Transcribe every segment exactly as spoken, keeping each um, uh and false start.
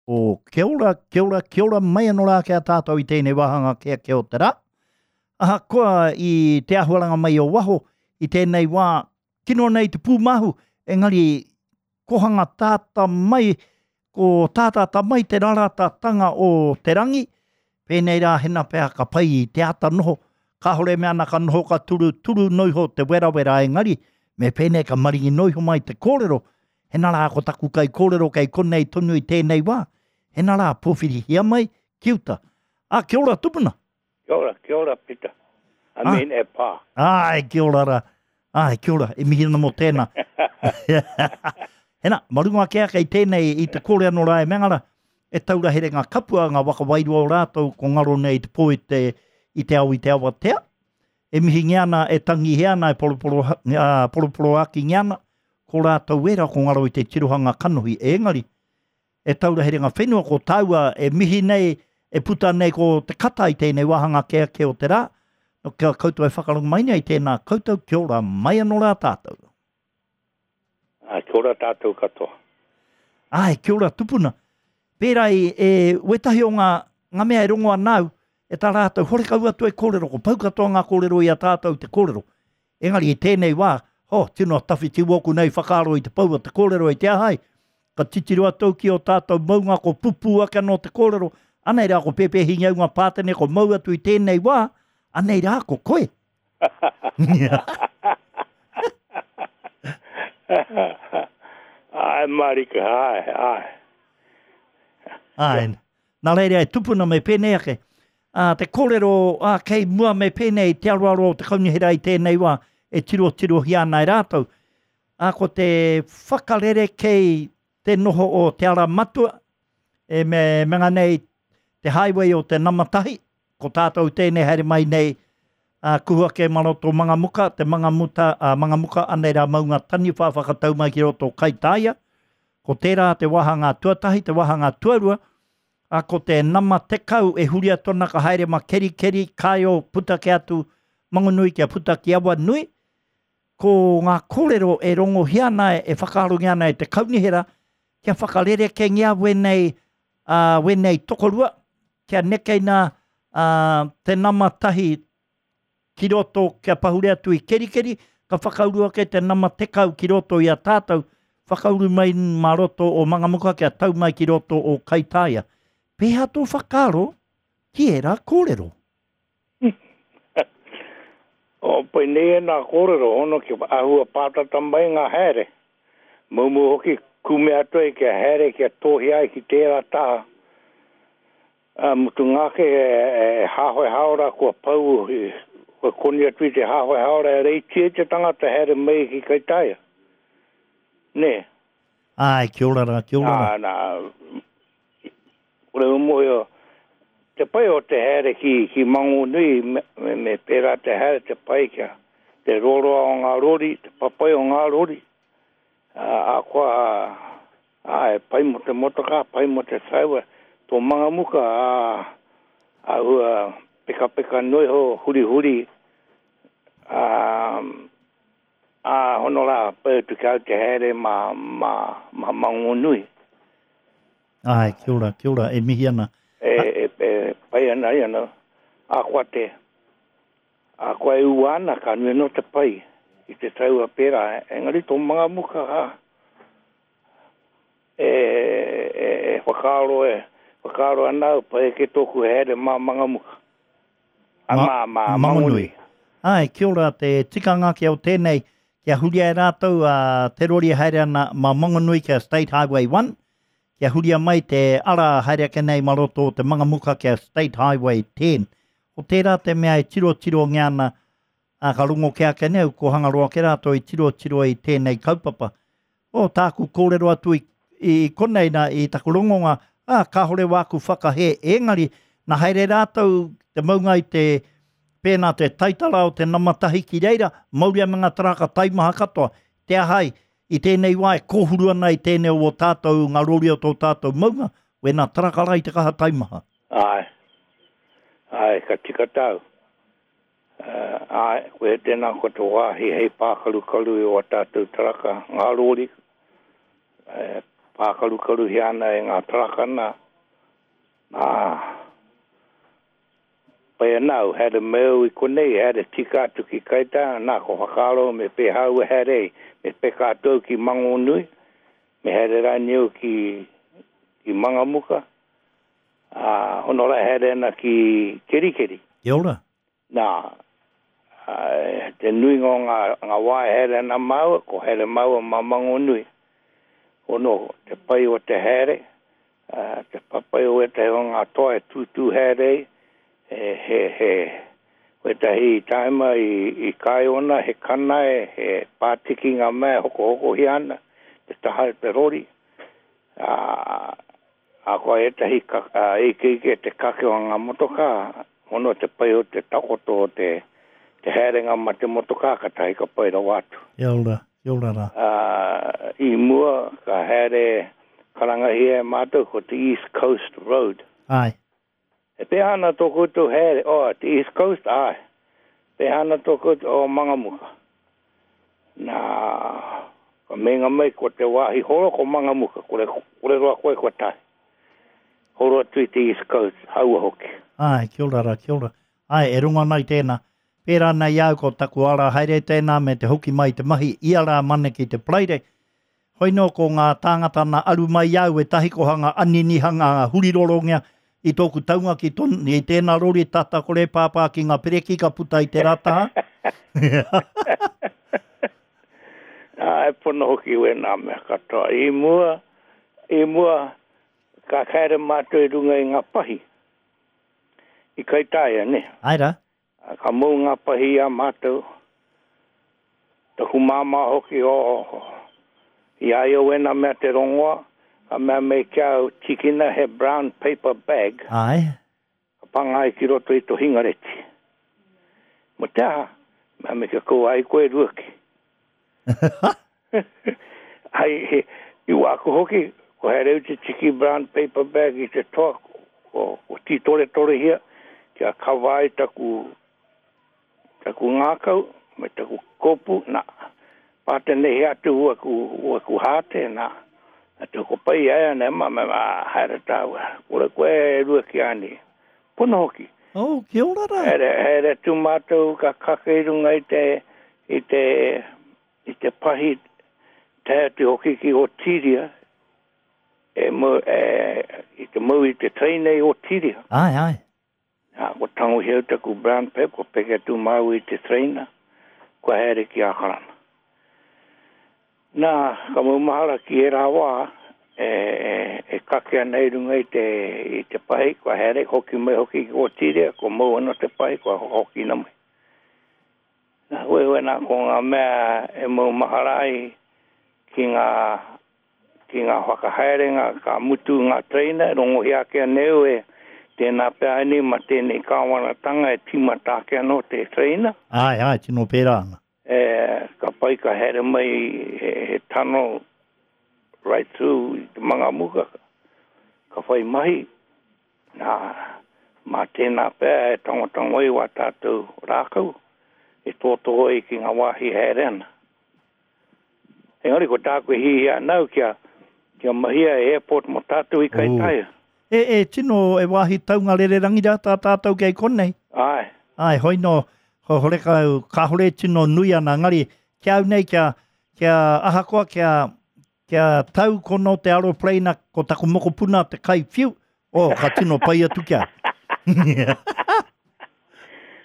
O kia ora, kia ora, kia ora mai anō rā ki a tātou i tēnei wāhanga kia kia o te rā. Ahakoa i te ahuaranga mai o waho, i tēnei wā, kino nei te pūmahu, engari kohanga tāta mai, ko tātata mai te raratatanga o te rangi, pēnei rā hena pea ka pai i te ata noho, kāhore mea ana ka noho ka turu, turu noiho te werawera engari, me pēnei ka maringi noiho mai te kōrero, hena rā ko taku kai kōrero kei konei tonu i tēnei wā, hena rā pōwhirihia mai ki uta. Ah, kia ora tupuna. Kia ora, kia ora, Peter. I Ah. mean, e pā. Ai, kia ora rā. Ai, kia ora, e mihi ana mō tēnā. Hena, marunga ake ake i tēnei i te kore anō rā e mengara, e taura here ngā kapua, ngā waka wairua o rātou, ko ngaro nei te pō i te, i te ao i te awatea. E mihingia ana, e tangihia ana, e poroporo, uh, poroporoakingia ana, ko rātou era ko ngaro i te tirohanga kanohi. Engari, e taura here ngā whenua, ko tāua e mihi nei, e puta nei ko te kata i tēnei wāhanga ke ake o te rā. No, kia koutou e whakarongo mai nei tēnā koutou, kia ora mai anō rā tātou. Ah, kia ora tātou katoa. Ai, kia ora tupuna. Pērā i e, wetahi o ngā, ngā mea e rongo anau, e tā rātou horekau atu e kōrero, ko pau katoa ngā kōrero i a tātou te kōrero. Engari i tēnei wā, ho, tino tawhiti wōku nei whakaaro i te pau o te kōrero i te ahai, ka titiro atu ki o tātou maunga ko pupu ake anō te kōrero, anei rā ko Pēpēhi Ngeunga Pātene ko mau atu i tēnei wā, anei rā ko koe. Ai, marika, ai, ai. Ai, nā reira e tupuna me pēnei ake. Ā, te kōrero ā, kei mua me pēnei te aroaro o te kaunihera i tēnei wā e tiro tirohia ana e rātou. Ā, ko te whakarere kei te noho o te ara matua, e me, me ngā nei te highway o te namatahi, ko tātou tēnei haere mai nei, ā, kuhu ake maroto Mangamuka, te Mangamuta, ā, Mangamuka anei rā maunga taniwha whakatau mai ki roto Kaitaia. Ko tērā te wāhanga tuatahi, te wāhanga tuarua, a ko te nama tekau e huri atu ana ka haere ma Kerikeri, Kaeo, puta ke atu Mangonui kia puta ki Awanui. Ko ngā kōrero e rongohia ana e whakaarongia ana e te kaunihera, kia whakarerekengia wenei, uh, wenei tokorua, kia nekeina uh, te nama tahi ki roto, kia pahure atu i Kerikeri, ka whakauru ake te nama tekau ki roto i a tātou, whakauru mai mā roto o Mangamuka kia tau mai ki roto o Kaitaia. Pēhea tō whakaaro ki ērā kōrero? O, pai nei e nā kōrero, hono ki ahua pātata mai ngā haere. Maumu hoki kume atu ai kia haere, kia tōhi ai ki tērā taha. A, mutu ngāke e, e hāhoe haora kua pau, e, kua koni atu i te hāhoe haora e reitia te tangata haere mai ki Kaitaia. Nē. Ai, kia ora rā, kia ora rā. Nā, nā, kore umohio, te pai o te haere ki, ki Mangonui, me, me, me pērā te haere te pai kia, te roroa o ngā rori, te papai o ngā rori. A, a koa, a, e pai mo te motoka, pai mo te taiwa, tō Mangamuka, a, a hua peka peka noiho, huri huri, a, a hono rā, pai atu ki au te haere ma, ma, ma Mangonui. Ai, kia ora, kia ora, e mihi ana. E, e, e pai ana i ana, a koa te, a koa e ua ana, ka nui no te pai i te taua pērā. Engari tō Mangamuka, ha, e, e, e whakaaro e, whakaaro ana au, pai ke tōku haere mā Mangamuka. A, Ma- mā, mā, Mangonui. Ai, kia ora te tikanga ki au tēnei, kia huria e rātou a te rori haere ana mā Mangonui kia State Highway one, kia huria mai te ara haere ake nei mā roto o te Mangamuka kia State Highway ten. Ko tērā te mea e tiro tiro nge ana, a ka rongo ke ake nei, ko Hangaroa ke rātou i tiro tiro i tēnei kaupapa. O, tāku kōrero atu i, i konei nā, i taku rongonga, a, kāhore wāku whakahe, engari, nā haere rātou te maunga i te pēnā te taitara o te namatahi ki reira, mauria me ngā taraka taimaha katoa. Te ahai, i tēnei wā e kōhuru ana i tēnei o tātou, ngā rori o tō tātou maunga, wena taraka rai te kaha taimaha. Ai, ai, ka tika tau. Uh, ai, koe tēnā ko te wāhi hei pākarukaru i o tātou taraka, ngā rori, eh, Pākarukaruhia ana e ngā taraka nā. Nā, pai ana au, haere mai au i konei, haere tika atu ki Kaitaia, nā, ko whakaaro me pēhā au e haere ai, me peka atu au ki Mangonui, me haere rānei au ki, ki Mangamuka, ā, hono rā haere ana ki Kerikeri. Kia ora. Nā, ā, te nuinga o ngā, ngā wā e haere ana māua, ko haere māua mā Mangonui. Hono, te pai o te haere, ā, te papai o ētahi o ngā toa e tūtū haere ai, he, he, he, wētahi taima i, i Kāiona, he kanae, he pātiki ngā mea e hokohokohia ana, te taha o te rori, ā, ā, koa ētahi ka, ā, ikeike te kake o ngā motokā, hono te pai o te takoto o te, te haerenga ma te motokā, katahi ka pai rawa atu. Kia ora, kia ora rā. Ā, i mua ka haere karangahia e mātou ko te East Coast Road. Āe. E pēhea ana tō koutou haere, oh, te East Coast, āe. Pēhea ana tō koutou, oh, Mangamuka. Nā, ka meinga mai ko te wāhi horo ko Mangamuka, kore, kore roa koe kua tae. Horo atu i te East Coast, haua hoki. Āe, kia ora rā, kia ora. Āe, e rongo ana i tēnā. Pērā ana i a au ko taku ara haere tēnā me te hoki mai i te mahi ia rā Mane ki te Paraire. Hoi nō ko ngā tāngata nā aru mai i a au ētahi ko hanga aninihanga ngā hurirorongia i tōku taunga ki ton, i tēnā rori tata kore pāpā ki ngā pereki ka puta i tērā taha. Ā, e pono hoki wēnā mea katoa. I mua, i mua, ka haere mātou i runga i ngā pahi. I Kaitaia, nē? Āe rā. Ka mau ngā pahi i a mātou. Taku māmā hoki, oh, i a ia wēnā mea te rongoa, ka mea mai ki a au, tīkina he brown paper bag. Āe. Ka panga ai ki roto i to hingareti. Mo te aha? Mea mai kia kaua ai koe ruaki. Ai, he, i wāku hoki, ko haere au te tiki brown paper bag i te toa, ko, ko tītoretorehia, kia kawa ai taku, taku ngākau, me taku kōpū, nā, pātenehi atu waku, waku hāte, nā, atu ko pai ai ana, ma, ma, ma, haere tāua, kore koe e rua ki āni. Pono hoki. Oh, kia ora rā. Haere, haere atu mātou ka kake i runga i te, i te, i te pahi, tae atu hoki ki Otiria, e mau, e, i te mau i te teina i Otiria. Ai, ai. Nā, kua tangohia au taku brown paper, kua peke atu māua i te teina, kua haere ki Ākarana. Nā, ka maumahara ki ērā wā, e, e, e kake ana i runga i te, i te pahi, kua haere, hoki mai hoki ki Otiria, kua mau anō te pahi, kua hokina mai. Nā, wewe nā, ko ngā mea e maumahara ai ki ngā, ki ngā whakahaerenga, ka mutu ngā teina, rongohia ake anei e tēnā pea ēnei ma tēnei kāwanatanga e tīmata ake anō te teina. Āe, āe, tino pērā ana. E, ka pai ka haere mai he, he tunnel right through i te Mangamuka, ka whai mahi, nā, mā tēnā pea e tangotango ai wā tātou rākau, e tōtō ai ki ngā wāhi haere ana. Engari ko tāku e hihia ana au kia, kia mahia e airport mō tātou i Kaitaia. E, e tino e wāhi taunga rererangi rā tā tātou kei konei. Āe. Āe, hoi nō, ho, horekau, kāhore tino nui ana, engari, kia au nei, kia, kia ahakoa, kia, kia tau kono te aeroplane ko taku mokopuna te kai whiu, oh, ka tino pai atu kia.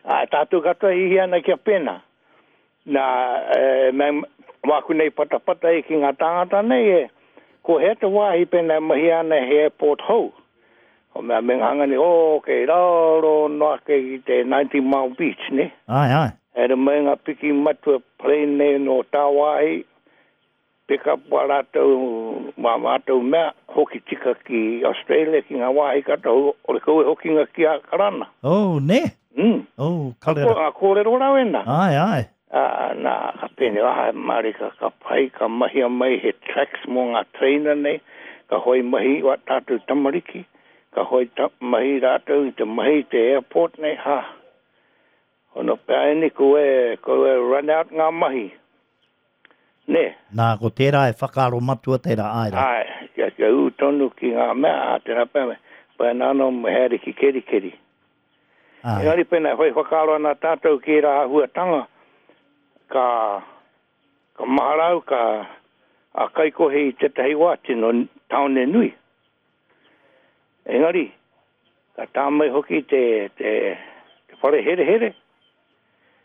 Āe, tātou katoa hihi ana kia pēnā. Nā, e, me, wāku nei patapata i ki ngā tāngata nei, e, ko hea te wāhi pēnā e mahia ana he airport hou. O mea me ngā hanga nei, oh, kei raro noa ake ki te ninety Mile Beach, ne? Āe, āe. Haere mai ngā piki matua plane nei no tāwāhi, pick up wā rātou, wā mātou mea, hoki tika ki Australia, ki ngā wāhi katoa, o le kau e hokinga ki Ākarana. Oh, ne? Mm. Oh, karera. Ko ngā kōrero rau ēnā. Āe, āe. Ā, nā, ka pēnei, āe, mārika, ka pai, ka mahia mai he tracks mō ngā trainer nei, ka hoi mahi wā tātou tamariki, ka hoi ta, mahi rātou i te mahi i te airport nei, ha. Hono pea ēnei, ko e, ko e run out ngā mahi. Nē? Nā, ko tērā e whakaaro matua tērā, āe rā. Āe, kia, kia ū tonu ki ngā mea, ā, tērā pea, pea nā anō me haere ki Kerikeri. Āe. Engari pēnā e whai whakaaro ana tātou ki ērā āhuatanga, ka, ka mahara au, ka, a Kaikohe i tētahi wā tino tāone nui. Engari, ka tā mai hoki te, te, te whare herehere,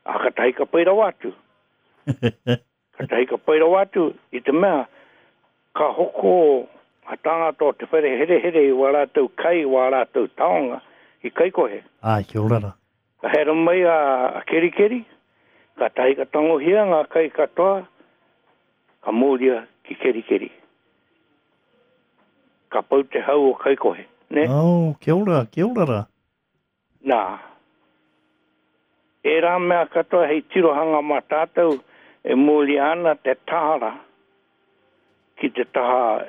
ā, katahi ka pai rawa atu. Katahi ka pai rawa atu i te mea ka hoko ngā tāngata o te whare herehere i wā rātou kai, wā rātou taonga i Kaikohe. Āe, kia ora rā. Ka haere mai a, a Kerikeri, katahi ka tangohia ngā kai katoa, ka mōria ki Kerikeri. Ka pau te hau o Kaikohe, ne? Oh, kia ora, kia ora rā. Nā, ērā mea katoa hei tirohanga mā tātou e mōria ana te tāra ki te taha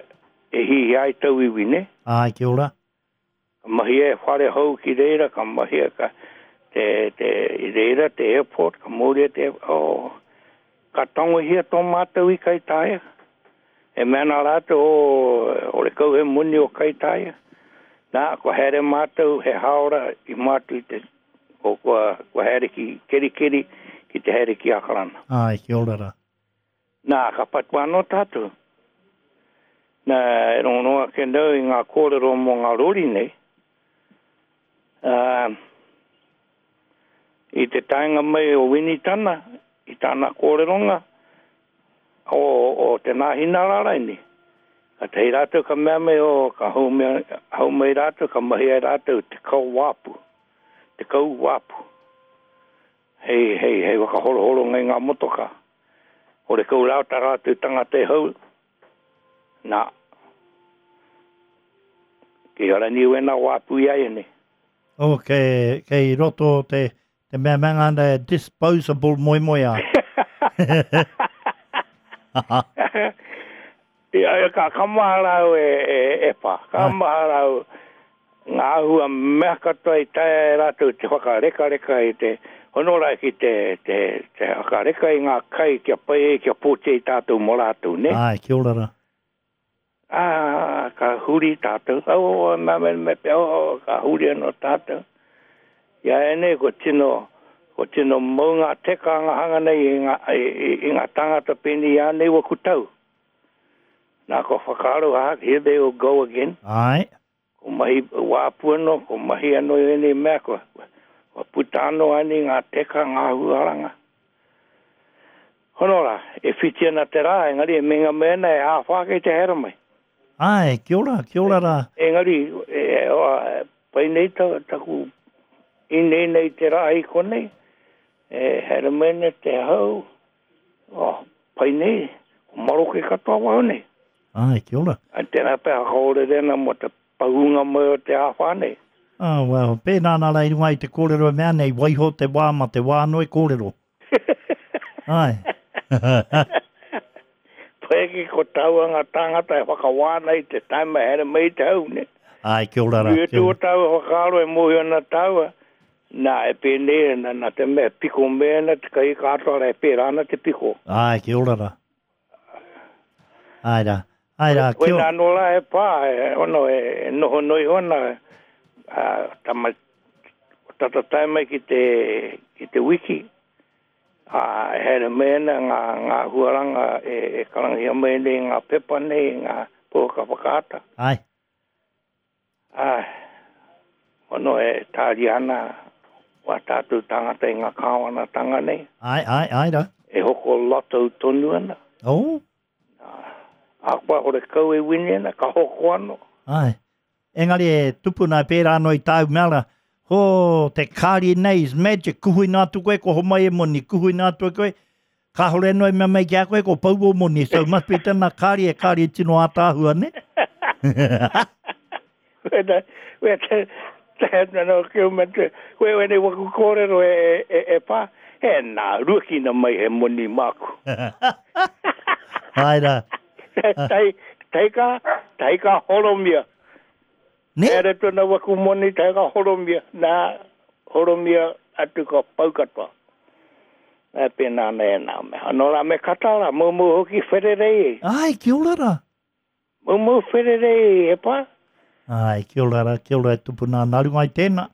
e hihi ai tauiwi, ne? Āe, kia ora. Ka mahia e whare hou ki reira, ka mahia ka te, te, i reira te airport, ka mōria te, oh, ka tangohia tō mātou i Kaitaia. E mea ana rātou, oh, ore kau he moni o Kaitaia. Nā, kua haere mātou he hāora i mātou i te, o kua, kua haere ki Kerikeri, ki te haere ki Akarana. Āe, kia ora rā. Nā, ka patua anō tātou. Nā, e rongorongo ake nau i ngā kōrero mō ngā rori nei. Uh, i te taenga mai o Winitana, i tāna kōreronga, o, o te Nāhinara raini. Ka tahi rātou ka mea mai o, ka hau mai, hau mai rātou, ka mahi ai rātou te kau wāpu. Te kau wāpu. Hei, hei, hei whakahorohoro ngai ngā motoka. Ore kau rau tā rātou tangata e hau. Nā. Ki hara ni wena wāpu i ai nei. Oh, kei, kei roto te, te mea mea ngana e disposable moemoeā. Ia, ia, ka, ka mahara au e, e, e pā. Ka Ai. mahara au ngā āhua mea katoa i taea e rātou te whakarekareka i te honora ki te, te, te whakareka i ngā kai kia pai ai, kia pōti ai tātou mō rātou, ne? Ai, kia ora rā. Ā, ka huri tātou. Oh, me, me, me, oh, ka huri anō tātou. Ia e nei, ko tino, ko tino mau ngā teka ngā hanga nei i ngā, i, i, i ngā tāngata pēnei i a nei waku tau. Nā, ko whakaaro, ah, here they will go again. Ai. Ko mahi wāpu anō, ko mahi anō i ēnei mea, ko, ko puta anō ani ngā teka, ngā huaranga. Hono rā, e whiti ana te rā, engari e menga mea ana e āwhā kei te haere mai. Ai, kia ora, kia ora rā. Engari, e, e, o, e, pai nei ta, taku inei nei te rā i konei, e haere mai ana te hau, oh, pai nei, ko maroke katoa wau nei. Ai, kia ora. Ai, tēnā pea whakaorere ana mō te pahunga mai o te āwhā nei. Ah, well, pēnā nā rā i runga i te kōrero e mea nei, waiho te wā ma te wā anō e kōrero. Ai. Pai ki ko taua ngā tāngata e whakawāna i te taima haere mai i te hau, ne? Ai, kia ora rā, I kia atu o ora. tāua whakaaro e mōhio ana tāua, nā, e pēnei ana, nā te mea piko mea ana, te kai katoa rā e pērā ana te piko. Ai, kia ora rā. Ai rā, ai rā, kia Koina ora. anō rā e pā, e, ono, e, e noho noi hona, a, tama, tata tae mai ki te, ki te wiki, a, e haere mai ana ngā, ngā huaranga e, e karangahia mai nei ngā pepa nei, ngā pouaka whakaata. Ai. Ai, ono e tāria ana wā tātou tāngata i ngā kāwanatanga nei. Ai, ai, ai rā. E hoko lotto tonu ana. Oh. A koa ore kau e wini ana, ka hoko anō. Ai. Engari e tupuna e pērā anō i tāu mea rā, ho, te kāri nei is magic, kuhui nā atu koe, ko homai e moni, kuhui nā atu koe, kāhore anō e mea mai ki a koe, ko pau o moni, so must be tēnā kāri e kāri e tino ātaahua, ne? Wena, wena, te, te, no, kia me te, we, wene waku kōrero e, e, e, e pā, he nā, ruakina mai he moni māku. Ai rā. Tai, tai ka, tai ka horomia. Ne? Ere tōna waku moni, tai ka horomia. Nā, horomia atu ka pau katoa. E pēnā ana e nā mea. Nō rā me kata rā, mūmū hoki whererei. Ai, kia ora rā. Mūmū whererei, e pā. Ai, kia ora rā, kia ora e tupuna. Nā runga i tēnā.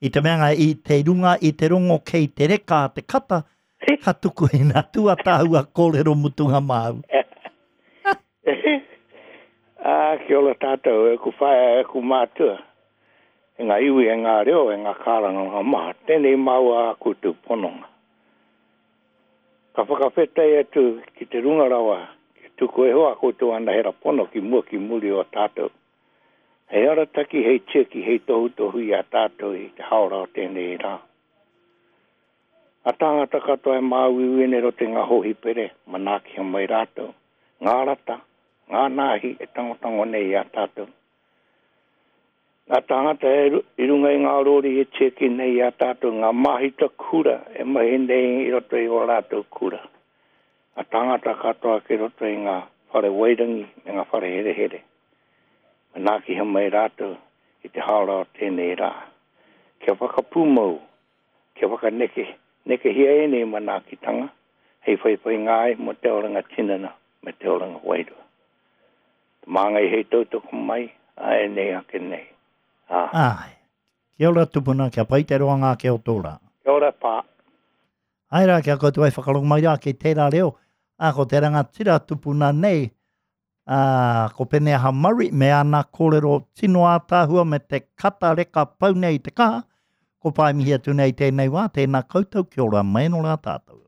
I te mea i te runga i te rongo kei te reka te kata, ka tuku i nā tua tāua kōrero mutunga māu. Ah, kia ora tātou, e ku whaea, e ku mātua. E ngā iwi, e ngā reo, e ngā kārangaranga maha. Tēnei māua a koutou pononga. Ka whakawhetai atu ki te runga rawa, ki tuku e hoa koutou anahera pono ki mua ki muri o tātou. Hei arataki, hei tiaki, hei tohutohu i a tātou i te haora o tēnei rā. A tāngata katoa e māuiui nei roto i ngā hohipere, manaaki mai rātou, ngā rata, ngā nāhi e tangotango nei i a tātou. Ngā tāngata e i runga i ngā rori e tiaki nei i a tātou, ngā mahita kura e mahi nei i roto i o rātou kura. Ngā tāngata katoa ki roto i ngā whare wairangi me ngā whare herehere. Manaaki mai rātou i te haora o tēnei rā. Kia whakapūmau, kia whakaneke, nekehia ēnei manaakitanga, hei whaiwhai ngāi mo te oranga tinana me te oranga wairua. Te māngai hei tautoko mai, a ēnei ake nei. Ah. Ai. Kia ora tupuna, kia pai te roanga ake o tō rā. Kia ora pā. Ai rā, kia koutou ai whakarongo mai rā ki tērā reo. A ko te rangatira tupuna nei, a, ko Peneaha Murray me ana kōrero tino ātaahua me te kata reka pau nei i te kaha. Ko pai mihi atu nei tēnei wā, tēnā koutou, kia ora mai no rā tātou.